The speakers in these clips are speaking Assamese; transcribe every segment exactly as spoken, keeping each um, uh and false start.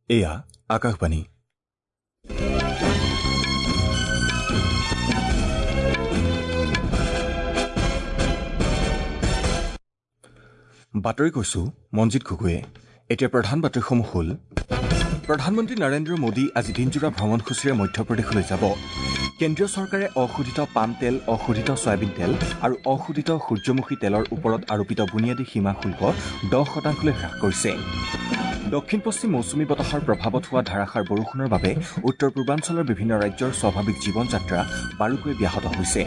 এয়া আকাশবাণী। বাতৰি কৈছো মঞ্জিত গগৈয়ে। এতিয়া প্ৰধান বাতৰিসমূহ হ'ল: প্ৰধানমন্ত্ৰী নৰেন্দ্ৰ মোদী আজি দিনজোৰা ভ্ৰমণসূচীৰে মধ্যপ্ৰদেশলৈ যাব। কেন্দ্ৰীয় চৰকাৰে অশোধিত পাম তেল, অশোধিত ছয়াবিন তেল আৰু অশোধিত সূৰ্যমুখী তেলৰ ওপৰত আৰোপিত বুনিয়াদী সীমা শুল্ক দহ শতাংশলৈ হ্ৰাস কৰিছে। দক্ষিণ পশ্চিম মৌচুমী বতাহৰ প্ৰভাৱত হোৱা ধাৰাসাৰ বৰষুণৰ বাবে উত্তৰ পূৰ্বাঞ্চলৰ বিভিন্ন ৰাজ্যৰ স্বাভাৱিক জীৱন যাত্ৰা বাৰুকৈ ব্যাহত হৈছে।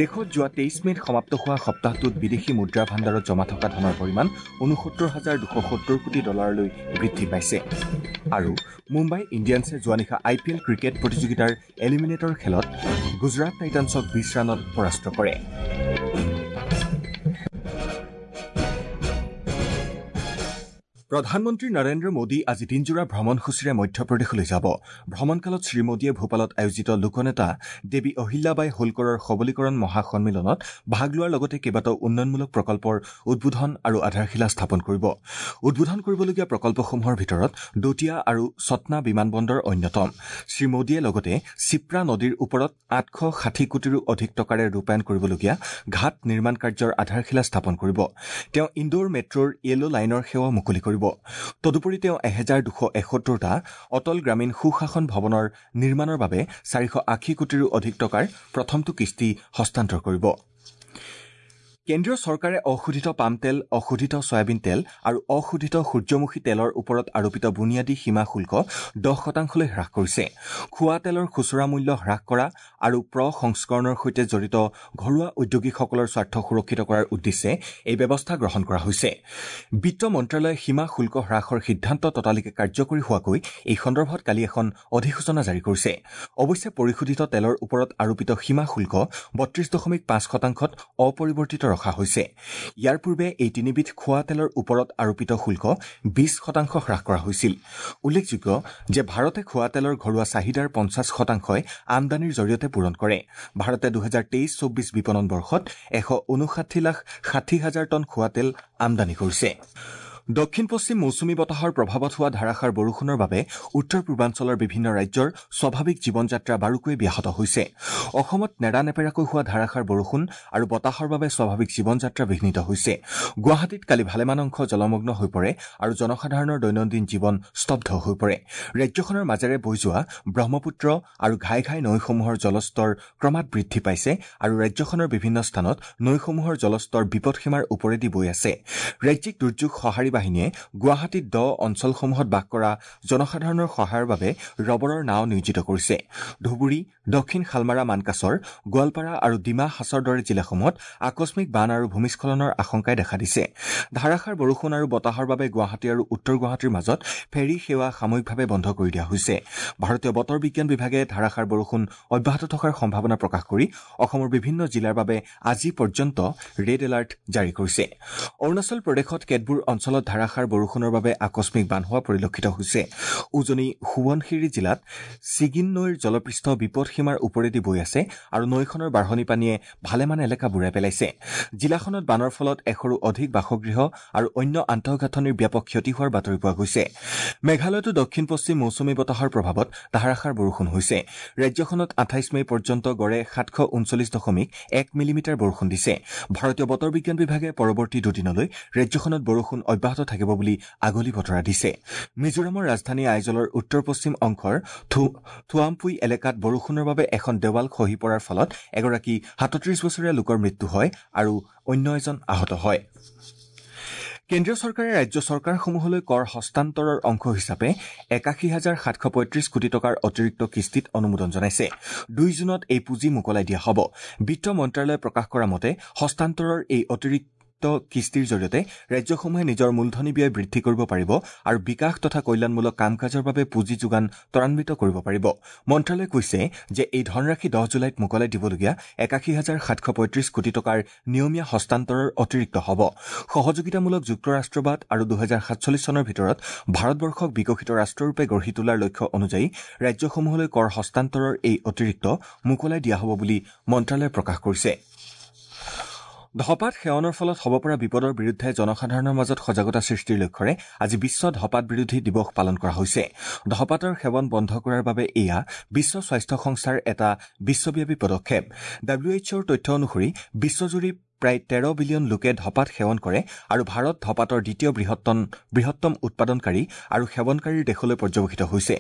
দেশত যোৱা তেইছ মে'ত সমাপ্ত হোৱা সপ্তাহটোত বিদেশী মুদ্ৰা ভাণ্ডাৰত জমা থকা ধনৰ পৰিমাণ ঊনসত্তৰ হাজাৰ দুশ সত্তৰ কোটি ডলাৰলৈ বৃদ্ধি পাইছে। আৰু মুম্বাই ইণ্ডিয়ানছে যোৱা নিশা আই পি এল ক্ৰিকেট প্ৰতিযোগিতাৰ এলিমিনেটৰ খেলত গুজৰাট টাইটানছক বিছ ৰানত পৰাস্ত কৰে। প্ৰধানমন্ত্ৰী নৰেন্দ্ৰ মোদী আজি দিনজোৰা ভ্ৰমণসূচীৰে মধ্যপ্ৰদেশলৈ যাব। ভ্ৰমণকালত শ্ৰীমোদীয়ে ভূপালত আয়োজিত লোকনেতা দেৱী অহিল্যাবাই হোলকৰৰ সবলীকৰণ মহাসন্মিলনত ভাগ লোৱাৰ লগতে কেইবাটাও উন্নয়নমূলক প্ৰকল্পৰ উদ্বোধন আৰু আধাৰশিলা স্থাপন কৰিব। উদ্বোধন কৰিবলগীয়া প্ৰকল্পসমূহৰ ভিতৰত দতিয়া আৰু ছটনা বিমানবন্দৰ অন্যতম। শ্ৰীমোদীয়ে লগতে চিপ্ৰা নদীৰ ওপৰত আঠশ ষাঠি কোটিৰো অধিক টকাৰে ৰূপায়ণ কৰিবলগীয়া ঘাট নিৰ্মাণ কাৰ্যৰ আধাৰশিলা স্থাপন কৰিব। তেওঁ ইণ্ডোৰ মেট্ৰ'ৰ য়েল' লাইনৰ সেৱা মুকলি কৰিব। তদুপৰি তেওঁ এহেজাৰ দুশ এসত্তৰটা অটল গ্ৰামীণ সুশাসন ভৱনৰ নিৰ্মাণৰ বাবে চাৰিশ আশী কোটিৰো অধিক টকাৰ প্ৰথমটো কিস্তি হস্তান্তৰ কৰিব। কেন্দ্ৰীয় চৰকাৰে অশোধিত পাম তেল, অশোধিত ছয়াবিন তেল আৰু অশোধিত সূৰ্যমুখী তেলৰ ওপৰত আৰোপিত বুনিয়াদী সীমা শুল্ক দহ শতাংশলৈ হ্ৰাস কৰিছে। খোৱা তেলৰ খুচুৰা মূল্য হ্ৰাস কৰা আৰু প্ৰসংস্কৰণৰ সৈতে জড়িত ঘৰুৱা উদ্যোগীসকলৰ স্বাৰ্থ সুৰক্ষিত কৰাৰ উদ্দেশ্যে এই ব্যৱস্থা গ্ৰহণ কৰা হৈছে। বিত্ত মন্ত্ৰালয়ে সীমা শুল্ক হ্ৰাসৰ সিদ্ধান্ত ততালিকে কাৰ্যকৰী হোৱাকৈ এই সন্দৰ্ভত কালি এখন অধিসূচনা জাৰি কৰিছে। অৱশ্যে পৰিশোধিত তেলৰ ওপৰত আৰোপিত সীমা শুল্ক বত্ৰিশ দশমিক পাঁচ শতাংশত অপৰিৱৰ্তিত ৰখা হৈছে। ইয়াৰ পূৰ্বে এই তিনিবিধ খোৱা তেলৰ ওপৰত আৰোপিত শুল্ক বিশ শতাংশ হ্ৰাস কৰা হৈছিল। উল্লেখযোগ্য যে ভাৰতে খোৱা তেলৰ ঘৰুৱা চাহিদাৰ পঞ্চাছ শতাংশই আমদানিৰ জৰিয়তে পূৰণ কৰে। ভাৰতে দুহেজাৰ তেইছ চৌব্বিছ বিপণন বৰ্ষত এশ ঊনষাঠি লাখ ষাঠি হাজাৰ টন খোৱা তেল আমদানি কৰিছে। দক্ষিণ পশ্চিম মৌচুমী বতাহৰ প্ৰভাৱত হোৱা ধাৰাসাৰ বৰষুণৰ বাবে উত্তৰ পূৰ্বাঞ্চলৰ বিভিন্ন ৰাজ্যৰ স্বাভাৱিক জীৱন যাত্ৰা বাৰুকৈ ব্যাহত হৈছে। অসমত নেৰানেপেৰাকৈ হোৱা ধাৰাসাৰ বৰষুণ আৰু বতাহৰ বাবে স্বাভাৱিক জীৱন যাত্ৰা বিঘ্নিত হৈছে। গুৱাহাটীত কালি ভালেমান অংশ জলমগ্ন হৈ পৰে আৰু জনসাধাৰণৰ দৈনন্দিন জীৱন স্তব্ধ হৈ পৰে। ৰাজ্যখনৰ মাজেৰে বৈ যোৱা ব্ৰহ্মপুত্ৰ আৰু ঘাই ঘাই নৈসমূহৰ জলস্তৰ ক্ৰমাৎ বৃদ্ধি পাইছে আৰু ৰাজ্যখনৰ বিভিন্ন স্থানত নৈসমূহৰ জলস্তৰ বিপদসীমাৰ ওপৰেদি বৈ আছে। ৰাজ্যিক দুৰ্যোগ সঁহাৰি বাহিনীয়ে গুৱাহাটীত দ অঞ্চলসমূহত বাস কৰা জনসাধাৰণৰ সহায়ৰ বাবে ৰবৰৰ নাও নিয়োজিত কৰিছে। ধুবুৰী, দক্ষিণ শালমাৰা মানকাচৰ, গোৱালপাৰা আৰু ডিমা হাছাওৰ দৰে জিলাসমূহত আকস্মিক বান আৰু ভূমিস্খলনৰ আশংকাই দেখা দিছে। ধাৰাসাৰ বৰষুণ আৰু বতাহৰ বাবে গুৱাহাটী আৰু উত্তৰ গুৱাহাটীৰ মাজত ফেৰী সেৱা সাময়িকভাৱে বন্ধ কৰি দিয়া হৈছে। ভাৰতীয় বতৰ বিজ্ঞান বিভাগে ধাৰাসাৰ বৰষুণ অব্যাহত থকাৰ সম্ভাৱনা প্ৰকাশ কৰি অসমৰ বিভিন্ন জিলাৰ বাবে আজি পৰ্যন্ত ৰেড এলাৰ্ট জাৰি কৰিছে। অৰুণাচল প্ৰদেশত কেতবোৰ অঞ্চলত ধাৰাসাৰ বৰষুণৰ বাবে আকস্মিক বান হোৱা পৰিলক্ষিত হৈছে। উজনি সোৱণশিৰি জিলাত ছিগিন নৈৰ জলপৃষ্ঠ বিপদসীমাৰ ওপৰেদি বৈ আছে আৰু নৈখনৰ বাঢ়নী পানীয়ে ভালেমান এলেকা বুৰাই পেলাইছে। জিলাখনত বানৰ ফলত এশৰো অধিক বাসগৃহ আৰু অন্য আন্তঃগাঁথনিৰ ব্যাপক ক্ষতি হোৱাৰ বাতৰি পোৱা গৈছে। মেঘালয়তো দক্ষিণ পশ্চিম মৌচুমী বতাহৰ প্ৰভাৱত ধাৰাসাৰ বৰষুণ হৈছে। ৰাজ্যখনত আঠাইছ মে পৰ্যন্ত গড়ে সাতশ ঊনচল্লিছ দশমিক এক মিলিমিটাৰ বৰষুণ দিছে। ভাৰতীয় বতৰ বিজ্ঞান বিভাগে পৰৱৰ্তী দুদিনলৈ ৰাজ্যখনত বৰষুণ অব্যাহত থাকিব বুলি আগলি বতৰা দিছে। মিজোৰামৰ ৰাজধানী আইজলৰ উত্তৰ পশ্চিম অংশৰ থুৱামপুই এলেকাত বৰষুণৰ বাবে এখন দেৱাল খহি পৰাৰ ফলত এগৰাকী সাতত্ৰিশ বছৰীয়া লোকৰ মৃত্যু হয় আৰু অন্য এজন আহত হয়। কেন্দ্ৰীয় চৰকাৰে ৰাজ্য চৰকাৰসমূহলৈ কৰ হস্তান্তৰৰ অংশ হিচাপে একাশী হাজাৰ সাতশ পঁয়ত্ৰিশ কোটি টকাৰ অতিৰিক্ত কিস্তিত অনুমোদন জনাইছে। দুই জুনত এই পুঁজি মোকলাই দিয়া হ'ব। বিত্ত মন্ত্ৰালয়ে প্ৰকাশ কৰা মতে হস্তান্তৰৰ এই অতিৰিক্ত কিস্তিৰ জৰিয়তে ৰাজ্যসমূহে নিজৰ মূলধনী ব্যয় বৃদ্ধি কৰিব পাৰিব আৰু বিকাশ তথা কল্যাণমূলক কাম কাজৰ বাবে পুঁজি যোগান ত্বৰান্বিত কৰিব পাৰিব। মন্ত্ৰালয়ে কৈছে যে এই ধনৰাশি দহ জুলাইত মোকলাই দিবলগীয়া একাশী হাজাৰ সাতশ পঁয়ত্ৰিশ কোটি টকাৰ নিয়মীয়া হস্তান্তৰৰ অতিৰিক্ত হ'ব। সহযোগিতামূলক যুক্তৰাষ্ট্ৰবাদ আৰু দুহেজাৰ সাতচল্লিছ চনৰ ভিতৰত ভাৰতবৰ্ষক বিকশিত ৰাষ্ট্ৰৰূপে গঢ়ি তোলাৰ লক্ষ্য অনুযায়ী ৰাজ্যসমূহলৈ কৰ হস্তান্তৰৰ এই অতিৰিক্ত মোকলাই দিয়া হ'ব বুলি মন্ত্ৰালয়ে প্ৰকাশ কৰিছে। ধপাত সেৱনৰ ফলত হ'ব পৰা বিপদৰ বিৰুদ্ধে জনসাধাৰণৰ মাজত সজাগতা সৃষ্টিৰ লক্ষ্যৰে আজি বিশ্ব ধপাত বিৰোধী দিৱস পালন কৰা হৈছে। ধপাতৰ সেৱন বন্ধ কৰাৰ বাবে এয়া বিশ্ব স্বাস্থ্য সংস্থাৰ এটা বিশ্বব্যাপী পদক্ষেপ। ডাব্লিউ এইচ অ'ৰ তথ্য অনুসৰি বিশ্বজুৰি প্ৰায় তেৰ বিলিয়ন লোকে ধপাত সেৱন কৰে আৰু ভাৰত ধপাতৰ দ্বিতীয় বৃহত্তম বৃহত্তম উৎপাদনকাৰী আৰু সেৱনকাৰীৰ দেশলৈ পৰ্যবেক্ষিত হৈছে।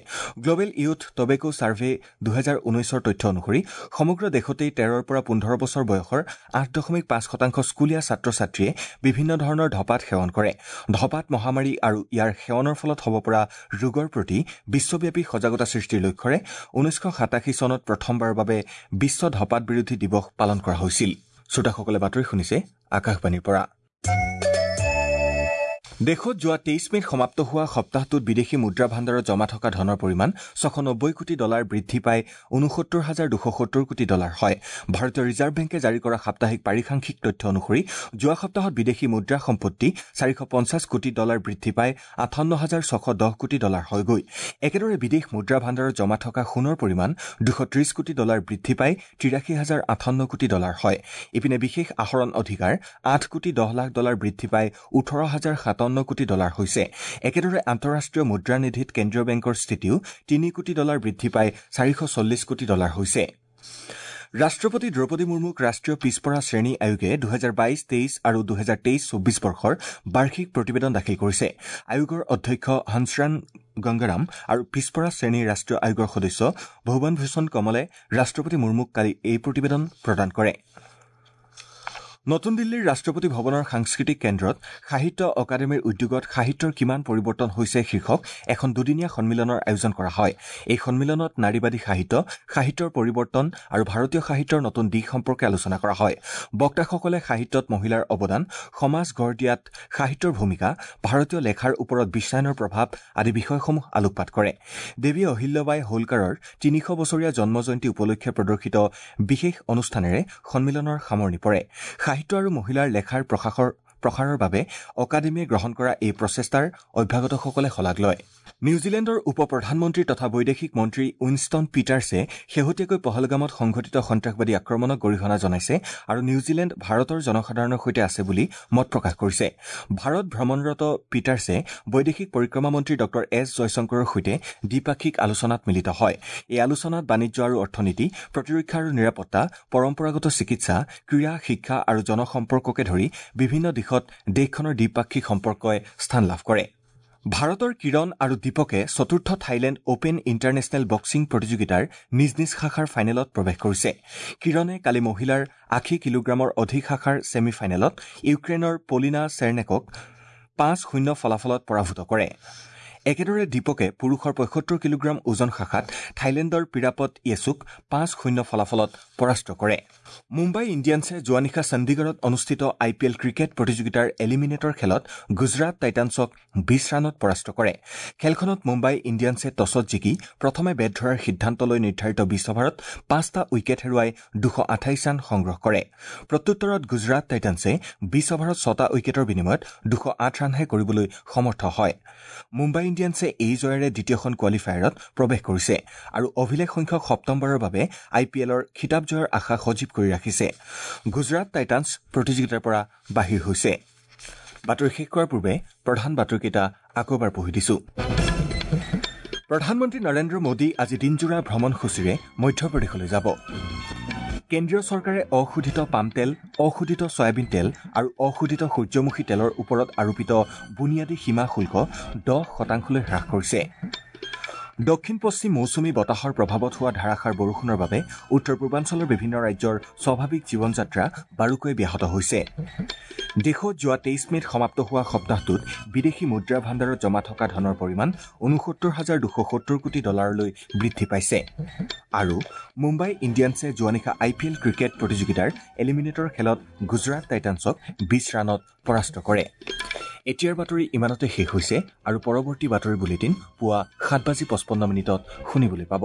গ্লবেল ইউথ টবেকো ছাৰ্ভে দুহেজাৰ ঊনৈছৰ তথ্য অনুসৰি সমগ্ৰ দেশতেই তেৰৰ পৰা পোন্ধৰ বছৰ বয়সৰ আঠ দশমিক পাঁচ শতাংশ স্কুলীয়া ছাত্ৰ ছাত্ৰীয়ে বিভিন্ন ধৰণৰ ধপাত সেৱন কৰে। ধপাত মহামাৰী আৰু ইয়াৰ সেৱনৰ ফলত হ'ব পৰা ৰোগৰ প্ৰতি বিশ্বব্যাপী সজাগতা সৃষ্টিৰ লক্ষ্যৰে ঊনৈছশ সাতাশী চনত প্ৰথমবাৰৰ বাবে বিশ্ব ধপাত বিৰোধী দিৱস পালন কৰা হৈছিল। শ্ৰোতাসকলে বাতৰি শুনিছে আকাশবাণীৰ পৰা। দেশত যোৱা তেইছ মে'ত সমাপ্ত হোৱা সপ্তাহটোত বিদেশী মুদ্ৰা ভাণ্ডাৰত জমা থকা ধনৰ পৰিমাণ ছশ নব্বৈ কোটি ডলাৰ বৃদ্ধি পাই ঊনসত্তৰ হাজাৰ দুশ সত্তৰ কোটি ডলাৰ হয়। ভাৰতীয় ৰিজাৰ্ভ বেংকে জাৰি কৰা সাপ্তাহিক পাৰিসাংখ্যিক তথ্য অনুসৰি যোৱা সপ্তাহত বিদেশী মুদ্ৰা সম্পত্তি চাৰিশ পঞ্চাছ কোটি ডলাৰ বৃদ্ধি পাই আঠাৱন্ন হাজাৰ ছশ দহ কোটি ডলাৰ হয়গৈ। একেদৰে বিদেশ মুদ্ৰা ভাণ্ডাৰত জমা থকা সোণৰ পৰিমাণ দুশ ত্ৰিশ কোটি ডলাৰ বৃদ্ধি পাই তিৰাশী হাজাৰ আঠাৱন্ন কোটি ডলাৰ হয়। ইপিনে বিশেষ আহৰণ অধিকাৰ আঠ কোটি দহ লাখ ডলাৰ বৃদ্ধি পাই ওঠৰ হাজাৰ সাতাৱন্ন কোটি ডলাৰ হৈছে। একেদৰে আন্তঃৰাষ্ট্ৰীয় মুদ্ৰানিধিত কেন্দ্ৰীয় বেংকৰ স্থিতিও তিনি কোটি ডলাৰ বৃদ্ধি পাই চাৰিশ চল্লিছ কোটি ডলাৰ হৈছে। ৰাষ্ট্ৰপতি দ্ৰৌপদী মুৰ্মুক ৰাষ্ট্ৰীয় পিছপৰা শ্ৰেণী আয়োগে দুহেজাৰ বাইশ তেইছ আৰু দুহেজাৰ তেইছ চৌব্বিছ বৰ্ষৰ বাৰ্ষিক প্ৰতিবেদন দাখিল কৰিছে। আয়োগৰ অধ্যক্ষ হংসৰাণ গংগাৰাম আৰু পিছপৰা শ্ৰেণীৰ ৰাষ্ট্ৰীয় আয়োগৰ সদস্য ভুৱন ভূষণ কমলে ৰাষ্ট্ৰপতি মুৰ্মুক কালি এই প্ৰতিবেদন প্ৰদান কৰে। নতুন দিল্লীৰ ৰাষ্ট্ৰপতি ভৱনৰ সাংস্কৃতিক কেন্দ্ৰত সাহিত্য অকাডেমীৰ উদ্যোগত সাহিত্যৰ কিমান পৰিৱৰ্তন হৈছে শীৰ্ষক এখন দুদিনীয়া সন্মিলনৰ আয়োজন কৰা হয়। এই সন্মিলনত নাৰীবাদী সাহিত্য, সাহিত্যৰ পৰিৱৰ্তন আৰু ভাৰতীয় সাহিত্যৰ নতুন দিশ সম্পৰ্কে আলোচনা কৰা হয়। বক্তাসকলে সাহিত্যত মহিলাৰ অৱদান, সমাজ গঢ় দিয়াত সাহিত্যৰ ভূমিকা, ভাৰতীয় লেখাৰ ওপৰত বিশ্বায়নৰ প্ৰভাৱ আদি বিষয়সমূহ আলোকপাত কৰে। দেৱী অহিল্যবাই হোলকাৰৰ তিনিশ বছৰীয়া জন্ম জয়ন্তী উপলক্ষে প্ৰদৰ্শিত বিশেষ অনুষ্ঠানেৰে সন্মিলনৰ সামৰণি পৰে। সাহিত্য আৰু মহিলাৰ লেখাৰ প্ৰশাসৰ প্ৰসাৰৰ বাবে অকাডেমীয়ে গ্ৰহণ কৰা এই প্ৰচেষ্টাৰ অভ্যাগতসকলে শলাগ লয়। নিউজিলেণ্ডৰ উপ প্ৰধানমন্ত্ৰী তথা বৈদেশিক মন্ত্ৰী উইনষ্টন পিটাৰ্ছে শেহতীয়াকৈ পহলগামত সংঘটিত সন্ত্ৰাসবাদী আক্ৰমণক গৰিহণা জনাইছে আৰু নিউজিলেণ্ড ভাৰতৰ জনসাধাৰণৰ সৈতে আছে বুলি মত প্ৰকাশ কৰিছে। ভাৰত ভ্ৰমণৰত পিটাৰ্ছে বৈদেশিক পৰিক্ৰমা মন্ত্ৰী ডঃ এছ জয়শংকৰৰ সৈতে দ্বিপাক্ষিক আলোচনাত মিলিত হয়। এই আলোচনাত বাণিজ্য আৰু অৰ্থনীতি, প্ৰতিৰক্ষা আৰু নিৰাপত্তা, পৰম্পৰাগত চিকিৎসা, ক্ৰীড়া, শিক্ষা আৰু জনসম্পৰ্ককে ধৰি বিভিন্ন দিশত দেশখনৰ দ্বিপাক্ষিক সম্পৰ্কই স্থান লাভ কৰে। ভাৰতৰ কিৰণ আৰু দীপকে চতুৰ্থ থাইলেণ্ড অপেন ইণ্টাৰনেশ্যনেল বক্সিং প্ৰতিযোগিতাৰ নিজ নিজ শাখাৰ ফাইনেলত প্ৰৱেশ কৰিছে। কিৰণে কালি মহিলাৰ আশী কিলোগ্ৰামৰ অধিক শাখাৰ ছেমি ফাইনেলত ইউক্ৰেইনৰ পলিনা চেৰনেকক পাঁচ শূন্য ফলাফলত পৰাভূত কৰে। একেদৰে দীপকে পুৰুষৰ পঁয়সত্তৰ কিলোগ্ৰাম ওজন শাখাত থাইলেণ্ডৰ পিৰাপত য়েছুক পাঁচ শূন্য ফলাফলত পৰাস্ত কৰে। মুম্বাই ইণ্ডিয়ানছে যোৱা নিশা চণ্ডীগড়ত অনুষ্ঠিত আই পি এল ক্ৰিকেট প্ৰতিযোগিতাৰ এলিমিনেটৰ খেলত গুজৰাট টাইটানছক বিশ ৰানত পৰাস্ত কৰে। খেলখনত মুম্বাই ইণ্ডিয়ানছে টছত জিকি প্ৰথমে বেট ধৰাৰ সিদ্ধান্ত লৈ নিৰ্ধাৰিত বিশ অভাৰত পাঁচটা উইকেট হেৰুৱাই দুশ আঠাইছ ৰান সংগ্ৰহ কৰে। প্ৰত্যুত্তৰত গুজৰাট টাইটানছে বিশ অভাৰত ছটা উইকেটৰ বিনিময়ত দুশ আঠ ৰানহে কৰিবলৈ সমৰ্থ হয়। মুম্বাই ইণ্ডিয়ানছে এই জয়েৰে দ্বিতীয়খন কোৱালিফায়াৰত প্ৰৱেশ কৰিছে আৰু অভিলেখ সংখ্যক সপ্তমবাৰৰ বাবে আই পি এলৰ খিতাপ জয়ৰ আশা সজীৱ কৰি ৰাখিছে। গুজৰাট টাইটানছ প্ৰতিযোগিতাৰ পৰা বাহিৰ হৈছে। বাতৰি শেষ কৰাৰ পূৰ্বে প্ৰধান বাতৰিকেইটা আকৌ এবাৰ পঢ়ি দিছো। প্ৰধানমন্ত্ৰী নৰেন্দ্ৰ মোদী আজি দিনজোৰা ভ্ৰমণসূচীৰে মধ্যপ্ৰদেশলৈ যাব। কেন্দ্ৰীয় চৰকাৰে অশোধিত পাম তেল, অশোধিত ছয়াবিন তেল আৰু অশোধিত সূৰ্যমুখী তেলৰ ওপৰত আৰোপিত বুনিয়াদী সীমা শুল্ক দহ শতাংশলৈ হ্ৰাস কৰিছে। দক্ষিণ পশ্চিম মৌচুমী বতাহৰ প্ৰভাৱত হোৱা ধাৰাসাৰ বৰষুণৰ বাবে উত্তৰ পূৰ্বাঞ্চলৰ বিভিন্ন ৰাজ্যৰ স্বাভাৱিক জীৱনযাত্ৰা বাৰুকৈয়ে ব্যাহত হৈছে। দেশত যোৱা তেইছ মে'ত সমাপ্ত হোৱা সপ্তাহটোত বিদেশী মুদ্ৰা ভাণ্ডাৰত জমা থকা ধনৰ পৰিমাণ ঊনসত্তৰ হাজাৰ দুশ সত্তৰ কোটি ডলাৰলৈ বৃদ্ধি পাইছে। আৰু মুম্বাই ইণ্ডিয়ানছে যোৱা নিশা আই পি এল ক্ৰিকেট প্ৰতিযোগিতাৰ এলিমিনেটৰ খেলত গুজৰাট টাইটানছক বিশ ৰানত পৰাস্ত কৰে। এতিয়াৰ বাতৰি ইমানতে শেষ হৈছে আৰু পৰৱৰ্তী বাতৰি বুলেটিন পুৱা সাত বাজি পঁচপন্ন মিনিটত শুনিবলৈ পাব।